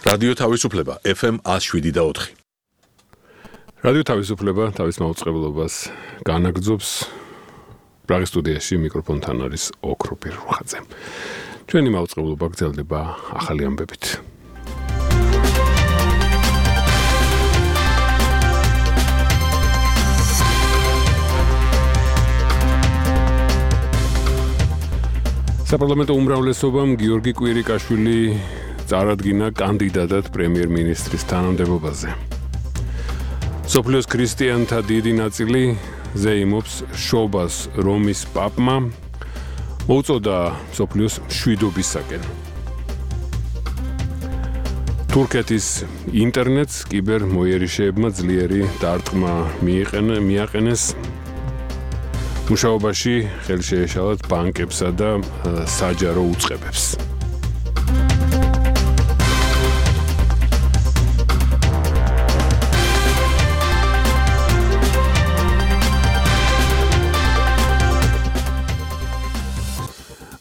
რადიო თავისუფლება FM 107.4. რადიო თავისუფლება თავის მაუწყებლობას განაგრძობს. პრაღის სტუდიაში მიკროფონთან არის ოქროპირ რუხაძე. ჩვენი მაუწყებლობა გრძელდება ახალი ამბებით. საპარლამენტო უმრავლესობამ გიორგი კვირიკაშვილი წარადგინა კანდიდატად პრემიერ-მინისტრის თანამდებობაზე. სოფლიოს ქრისტიანთა დიდი ნაწილი ზეიმობს შობას რომის პაპმა, მოუწოდა სოფლიოს მშვიდობისაკენ. თურქეთის ინტერნეტს კიბერ მოიერიშეებმა ძლიერი დარტყმა მიაყენეს. მუშაობაში ხელი შეეშალათ ბანკებსა და საჯარო უწყებებს.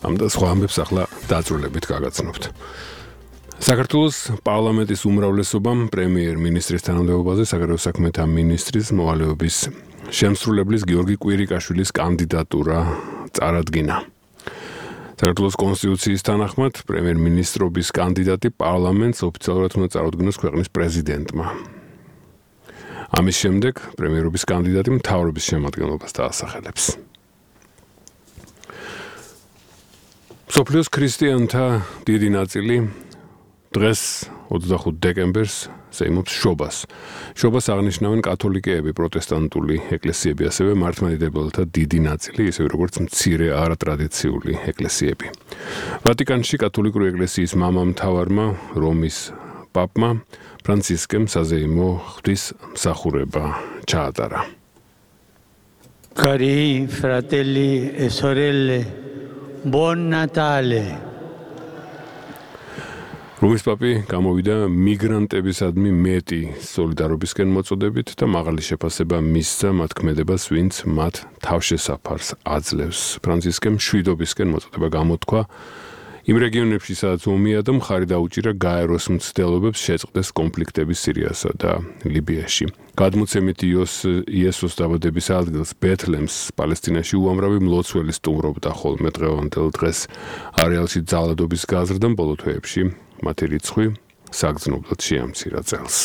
ამ და სხვა ამბებს ახლა დაწვრილებით გაგაცნობთ. საქართველოს პარლამენტის უმრავლესობამ პრემიერ-მინისტრის თანამდებობაზე საგარეო საქმეთა მინისტრის მოვალეობის შემსრულებლის გიორგი კვირიკაშვილის კანდიდატურა წარადგინა. საქართველოს კონსტიტუციის თანახმად პრემიერ-მინისტრობის კანდიდატი პარლამენტს ოფიციალურად უნდა წარუდგინოს ქვეყნის პრეზიდენტმა. ამის შემდეგ პრემიერობის კანდიდატი მთავრობის შემადგენლობას დაასახელებს. სოფლიოს ქრისტიანთა დიდი ნაწილი დღეს 25 დეკემბერს ზეიმობს შობას. შობას აღნიშნავენ კათოლიკეები, პროტესტანტული ეკლესიები, ასევე მართლმადიდებელთა დიდი ნაწილი, ისევე როგორც მცირე არატრადიციული ეკლესიები. ვატიკანში კათოლიკური ეკლესიის მამამთავარმა რომის პაპმა ფრანცისკემ საზეიმო ღვთისმსახურება ჩაატარა. Cari fratelli e sorelle, buon Natale. რომის პაპი გამოვიდა მიგრანტებისადმი მეტი სოლიდარობისკენ მოწოდებით და მაღალი შეფასება მისცა მათ ქმედებას, ვინც მათ თავშესაფარს აძლევს. ფრანცისკემ მშვიდობისკენ მოწოდება გამოთქვა იმ რეგიონებში, სადაც ომია და მხარი დაუჭირა გაეროს მცდელობებს შეწყდეს კონფლიქტები სირიასა და ლიბიაში. გადმოცემით იესოს დაბადების ადგილს ბეთლემს პალესტინაში უამრავი მლოცველი სტუმრობდა, ხოლმე დღევანდელ დღეს არეალში ძალადობის გაზრდამ ბოლო თვეებში მათი რიცხვი საგრძნობლად შეამცირა წელს.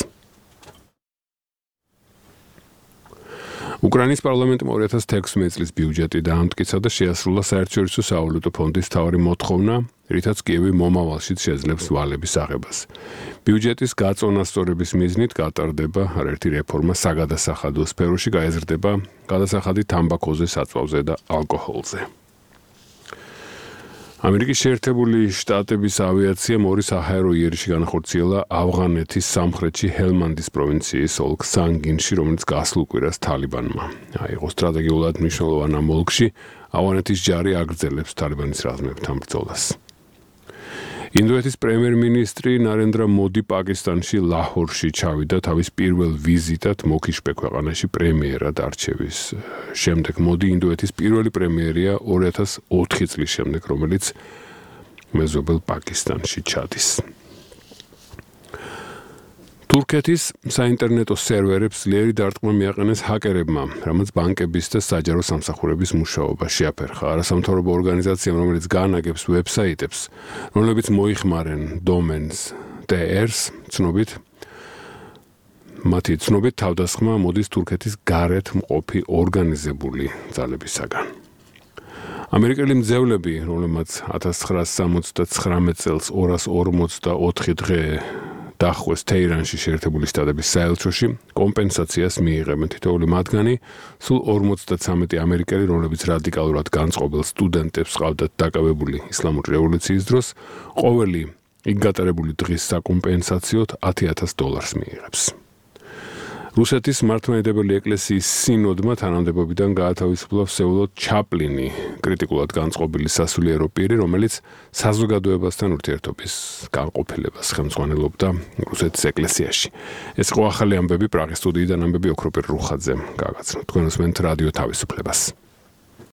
უკრაინის პარლამენტმა 2016 წლის ბიუჯეტი დაამტკიცა და შეასრულა საერთაშორისო სავალუტო ფონდის მთავარი მოთხოვნა, რითაც კიევი მომავალშიც შეძლებს ვალების აღებას. ბიუჯეტის გაწონასწორების მიზნით გატარდება არაერთი რეფორმა საგადასახადო სფეროში, გაეზრდება გადასახადი თამბაქოზე, საწვავზე და ალკოჰოლზე. ამერიკის შეერთებული შტატების ავიაციამ ორი საჰაერო იერიში განახორციელა ავღანეთის სამხრეთში ჰელმანდის პროვინციის ოლქ სანგინში, რომელიც გასულ კვირას თალიბანმა აიღო. სტრატეგიულად მნიშვნელოვან ამ ოლქში ავღანეთის ჯარი აგრძელებს თალიბანის რაზმებთან ბრძოლას. ინდოეთის პრემიერ-მინისტრი ნარენდრა მოდი პაკისტანში ლაჰორში ჩავიდა თავის პირველ ვიზიტად მოქიშპე ქვეყანაში პრემიერად არჩევის შემდეგ. მოდი ინდოეთის პირველი პრემიერია 2004 წლის შემდეგ, რომელიც მეზობელ პაკისტანში ჩადის. თურქეთის საინტერნეტო სერვერებს ძლიერი დარტყმა მიაყენეს ჰაკერებმა, რამაც ბანკების და საჯარო სამსახურების მუშაობა შეაფერხა. არასამთავრობო ორგანიზაციამ, რომელიც განაგებს ვებსაიტებს, რომლებიც მოიხმარენ დომენს TR-ს, მათი ცნობით თავდასხმა მოდის თურქეთის გარეთ მყოფი ორგანიზებული ძალებისაგან. ამერიკელი მძევლები, რომლებმაც 1979 წელს 244 დღე დახვეს თეირანში შეერთებული შტატების საელჩოში, კომპენსაციას მიიღებენ. თითოეული მათგანი სულ 53 ამერიკელი, რომლებიც რადიკალურად განწყობილ სტუდენტებს ყავდათ დაკავებული ისლამური რევოლუციის დროს, ყოველი იქ გატარებული დღის საკომპენსაციოდ $10,000 მიიღებს. რუსეთის მართლმადიდებელი ეკლესიის სინოდმა თანამდებობიდან გაათავისუფლა ვსეულოდ ჩაპლინი, კრიტიკულად განწყობილი სასულიერო პირი, რომელიც საზოგადოებასთან ურთიერთობის განყოფილებას ხელმძღვანელობდა რუსეთის ეკლესიაში. ეს იყო ახალი ამბები პრაღის სტუდიიდან, ამბები ოქროპირ რუხაძემ გაგაცნოთ. თქვენ უსმენთ რადიო თავისუფლებას.